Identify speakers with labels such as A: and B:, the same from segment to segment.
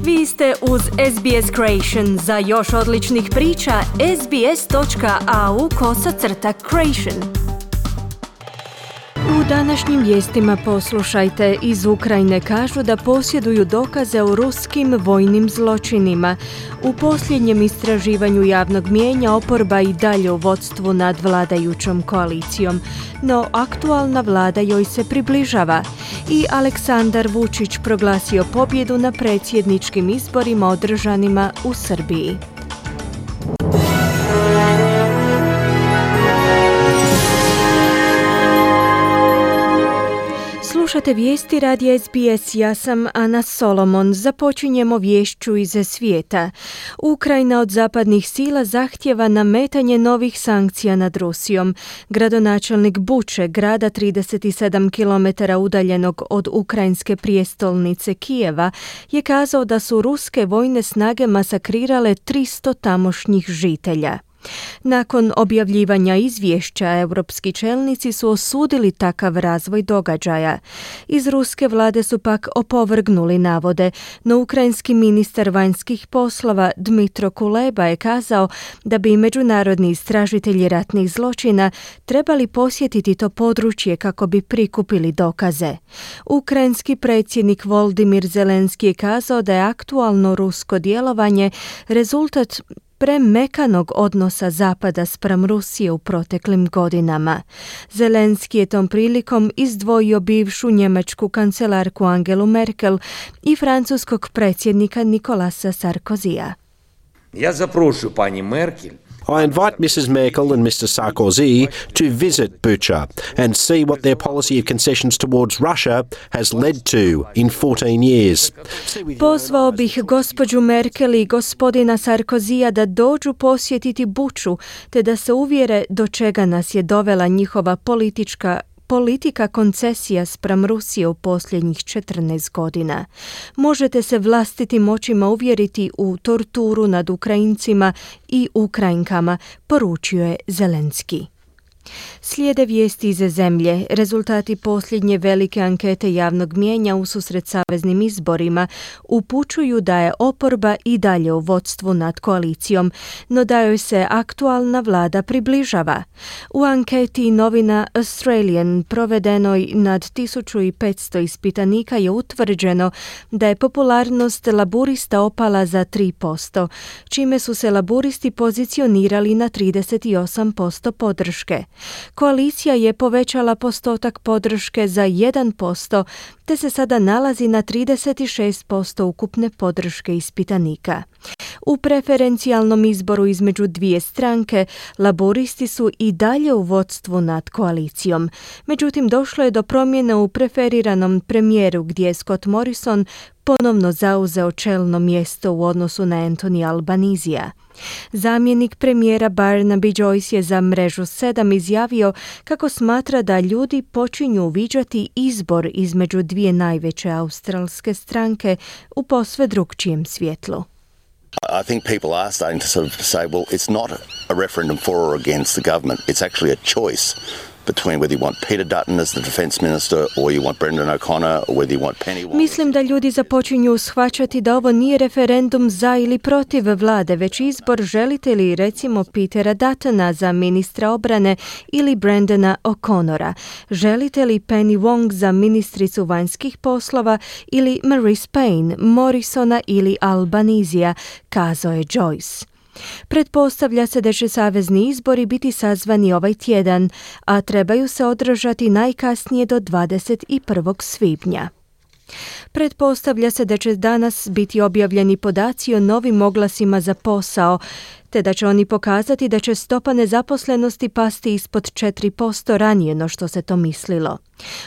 A: Vi ste uz SBS Creation. Za još odličnih priča, sbs.au/creation. U današnjim vijestima poslušajte. Iz Ukrajine kažu da posjeduju dokaze o ruskim vojnim zločinima. U posljednjem istraživanju javnog mijenja oporba i dalje u vodstvu nad vladajućom koalicijom, no aktualna vlada joj se približava. I Aleksandar Vučić proglasio pobjedu na predsjedničkim izborima održanima u Srbiji. Slušate vijesti radija SBS, ja sam Ana Solomon. Započinjemo viješću iz svijeta. Ukrajina od zapadnih sila zahtjeva nametanje novih sankcija nad Rusijom. Gradonačelnik Buče, grada 37 km udaljenog od ukrajinske prijestolnice Kijeva, je kazao da su ruske vojne snage masakrirale 300 tamošnjih žitelja. Nakon objavljivanja izvješća, europski čelnici su osudili takav razvoj događaja. Iz ruske vlade su pak opovrgnuli navode, no ukrajinski ministar vanjskih poslova Dmitro Kuleba je kazao da bi međunarodni istražitelji ratnih zločina trebali posjetiti to područje kako bi prikupili dokaze. Ukrajinski predsjednik Volodymyr Zelenski je kazao da je aktualno rusko djelovanje rezultat premekanog odnosa Zapada spram Rusije u proteklim godinama. Zelenski je tom prilikom izdvojio bivšu njemačku kancelarku Angelu Merkel i francuskog predsjednika Nicolasa Sarkozija.
B: Ja zaprošu pani Merkel.
C: I invite Mrs. Merkel and Mr. Sarkozy to visit Bucha and see what their policy of concessions towards Russia has led to in 14 years.
A: Pozvao bih gospođu Merkel i gospodina Sarkozija da dođu posjetiti Buču, te da se uvjere do čega nas je dovela njihova politika koncesija spram Rusije u posljednjih 14 godina. Možete se vlastitim očima uvjeriti u torturu nad Ukrajincima i Ukrajinkama, poručio je Zelenski. Slijede vijesti iz zemlje. Rezultati posljednje velike ankete javnog mijenja ususret saveznim izborima upućuju da je oporba i dalje u vodstvu nad koalicijom, no da joj se aktualna vlada približava. U anketi novina Australian provedenoj nad 1500 ispitanika je utvrđeno da je popularnost laburista opala za 3%, čime su se laburisti pozicionirali na 38% podrške. Koalicija je povećala postotak podrške za 1%, te se sada nalazi na 36% ukupne podrške ispitanika. U preferencijalnom izboru između dvije stranke, laboristi su i dalje u vodstvu nad koalicijom. Međutim, došlo je do promjene u preferiranom premijeru gdje je Scott Morrison ponovno zauzeo čelno mjesto u odnosu na Anthony Albanizija. Zamjenik premijera Barnaby Joyce je za mrežu 7 izjavio kako smatra da ljudi počinju uviđati izbor između dvije najveće australske stranke u posve drukčijem svjetlu.
D: I think people are starting to sort of say, well, it's not a referendum for or against the government. It's actually a choice between whether you want Peter Dutton as the defence minister or you want Brendan O'Connor or whether you want Penny Wong.
A: Mislim da ljudi započinju shvaćati da ovo nije referendum za ili protiv vlade, već izbor želite li recimo Petera Duttona za ministra obrane ili Brendana O'Connora. Želite li Penny Wong za ministricu vanjskih poslova ili Marise Payne, Morrisona ili Albanizija, kazao je Joyce. Pretpostavlja se da će savezni izbori biti sazvani ovaj tjedan, a trebaju se održati najkasnije do 21. svibnja. Pretpostavlja se da će danas biti objavljeni podaci o novim oglasima za posao, te da će oni pokazati da će stopa nezaposlenosti pasti ispod 4% ranije no što se to mislilo.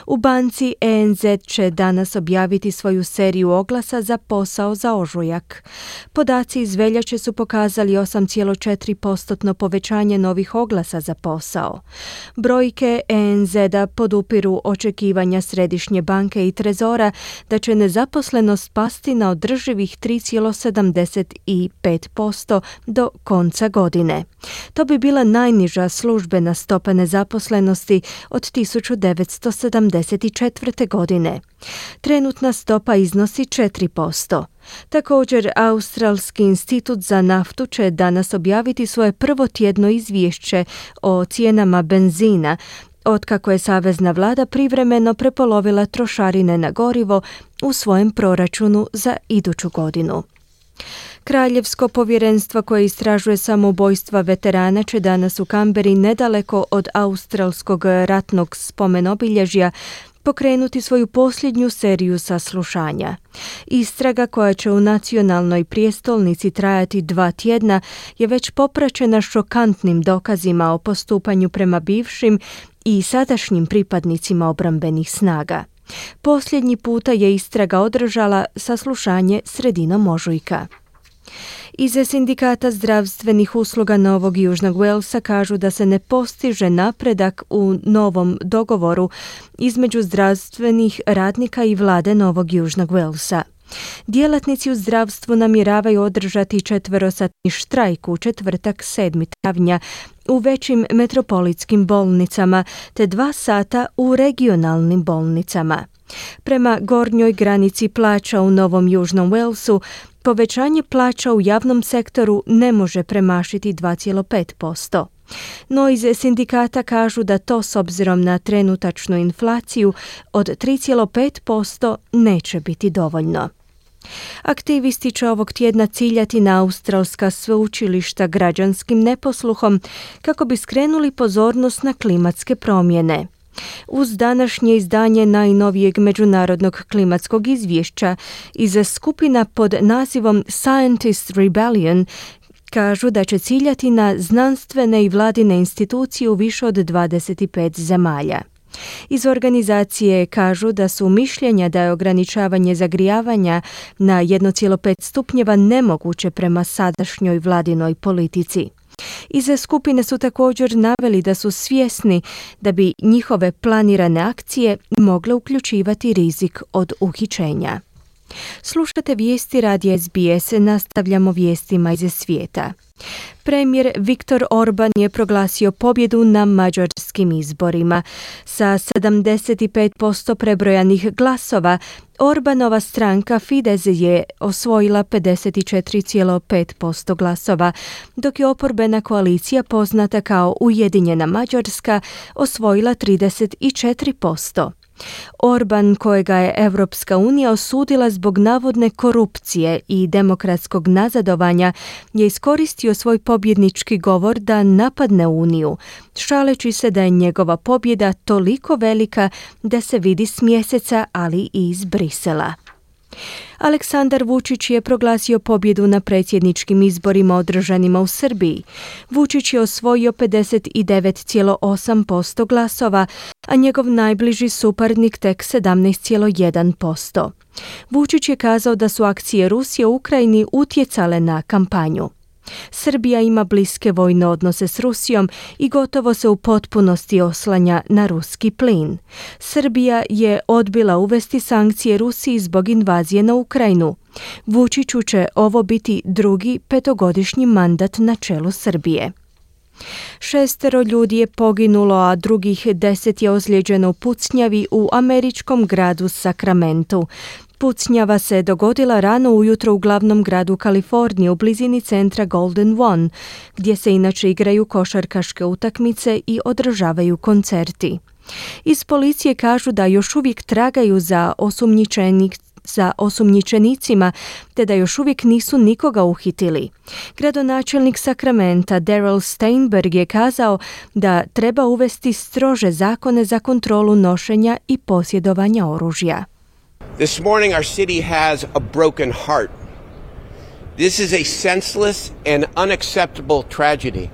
A: U banci ENZ će danas objaviti svoju seriju oglasa za posao za ožujak. Podaci iz veljače su pokazali 8,4% povećanje novih oglasa za posao. Brojke ENZ-a podupiru očekivanja Središnje banke i Trezora da će nezaposlenost pasti na održivih 3,75% do konca godine. To bi bila najniža službena stopa nezaposlenosti od 1974. godine. Trenutna stopa iznosi 4%. Također, Australski institut za naftu će danas objaviti svoje prvo tjedno izvješće o cijenama benzina, otkako je savezna vlada privremeno prepolovila trošarine na gorivo u svojem proračunu za iduću godinu. Kraljevsko povjerenstvo koje istražuje samoubojstva veterana će danas u Kamberi, nedaleko od australskog ratnog spomenobilježja, pokrenuti svoju posljednju seriju saslušanja. Istraga, koja će u nacionalnoj prijestolnici trajati 2 tjedna, je već popraćena šokantnim dokazima o postupanju prema bivšim i sadašnjim pripadnicima obrambenih snaga. Posljednji puta je istraga održala saslušanje sredinom ožujka. Iz sindikata zdravstvenih usluga Novog Južnog Walesa kažu da se ne postiže napredak u novom dogovoru između zdravstvenih radnika i vlade Novog Južnog Walesa. Djelatnici u zdravstvu namjeravaju održati 4-satni štrajk u četvrtak 7. travnja u većim metropolitskim bolnicama te 2 sata u regionalnim bolnicama. Prema gornjoj granici plaća u Novom Južnom Walesu, povećanje plaća u javnom sektoru ne može premašiti 2,5%. No iz sindikata kažu da to s obzirom na trenutačnu inflaciju od 3,5% neće biti dovoljno. Aktivisti će ovog tjedna ciljati na australska sveučilišta građanskim neposluhom kako bi skrenuli pozornost na klimatske promjene. Uz današnje izdanje najnovijeg međunarodnog klimatskog izvješća iz skupina pod nazivom Scientist Rebellion kažu da će ciljati na znanstvene i vladine institucije u više od 25 zemalja. Iz organizacije kažu da su mišljenja da je ograničavanje zagrijavanja na 1,5 stupnjeva nemoguće prema sadašnjoj vladinoj politici. Iz skupine su također naveli da su svjesni da bi njihove planirane akcije mogle uključivati rizik od uhićenja. Slušate vijesti radija SBS, nastavljamo vijestima iz svijeta. Premijer Viktor Orban je proglasio pobjedu na mađarskim izborima. Sa 75% prebrojanih glasova, Orbanova stranka Fidesz je osvojila 54,5% glasova, dok je oporbena koalicija poznata kao Ujedinjena Mađarska osvojila 34%. Orban, kojega je Europska unija osudila zbog navodne korupcije i demokratskog nazadovanja, je iskoristio svoj pobjednički govor da napadne Uniju, šaleći se da je njegova pobjeda toliko velika da se vidi s mjeseca, ali i iz Brisela. Aleksandar Vučić je proglasio pobjedu na predsjedničkim izborima održanima u Srbiji. Vučić je osvojio 59,8% glasova, a njegov najbliži suparnik tek 17,1%. Vučić je kazao da su akcije Rusije u Ukrajini utjecale na kampanju. Srbija ima bliske vojne odnose s Rusijom i gotovo se u potpunosti oslanja na ruski plin. Srbija je odbila uvesti sankcije Rusiji zbog invazije na Ukrajinu. Vučiću će ovo biti drugi 5-godišnji mandat na čelu Srbije. 6 ljudi je poginulo, a drugih 10 je ozlijeđeno u pucnjavi u američkom gradu Sacramentu. Pucnjava se dogodila rano ujutro u glavnom gradu Kalifornije u blizini centra Golden One, gdje se inače igraju košarkaške utakmice i održavaju koncerti. Iz policije kažu da još uvijek tragaju za osumnjičenicima, te da još uvijek nisu nikoga uhitili. Gradonačelnik Sacramenta Darrell Steinberg je kazao da treba uvesti strože zakone za kontrolu nošenja i posjedovanja oružja.
E: This morning our city has a broken heart. This is a senseless and unacceptable tragedy.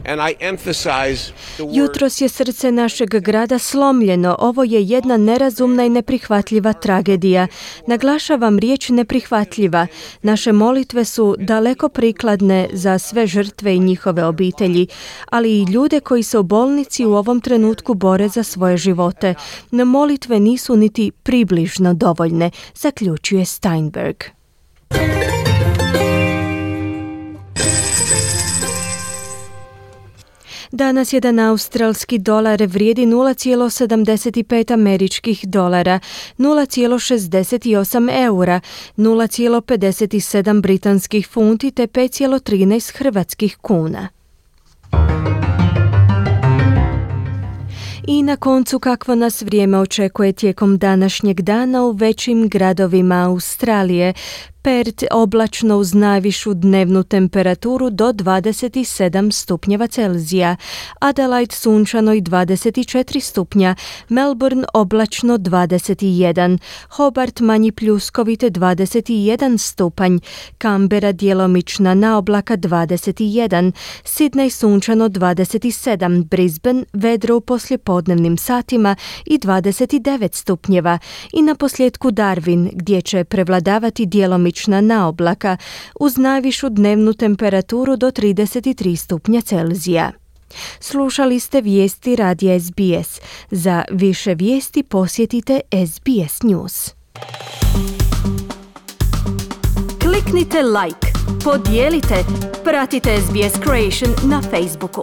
E: And I emphasize the word...
A: Jutros je srce našeg grada slomljeno. Ovo je jedna nerazumna i neprihvatljiva tragedija. Naglašavam riječ neprihvatljiva. Naše molitve su daleko prikladne za sve žrtve i njihove obitelji, ali i ljude koji se u bolnici u ovom trenutku bore za svoje živote. No molitve nisu niti približno dovoljne, zaključuje Danas jedan australski dolar vrijedi 0,75 američkih dolara, 0,68 eura, 0,57 britanskih funti te 5,13 hrvatskih kuna. I na koncu kakvo nas vrijeme očekuje tijekom današnjeg dana u većim gradovima Australije. Perth oblačno uz najvišu dnevnu temperaturu do 27 stupnjeva Celzija, Adelaide sunčano i 24 stupnja, Melbourne oblačno 21, Hobart manji pljuskovite 21 stupanj, Canberra djelomična naoblaka 21, Sydney sunčano 27, Brisbane vedro u poslijepodnevnim satima i 29 stupnjeva i na posljedku Darwin gdje će prevladavati djelomična naoblaka uz najvišu dnevnu temperaturu do 33 stupnja Celzija. Slušali ste vijesti radija SBS. Za više vijesti posjetite SBS News. Kliknite like, podijelite, pratite SBS Creation na Facebooku.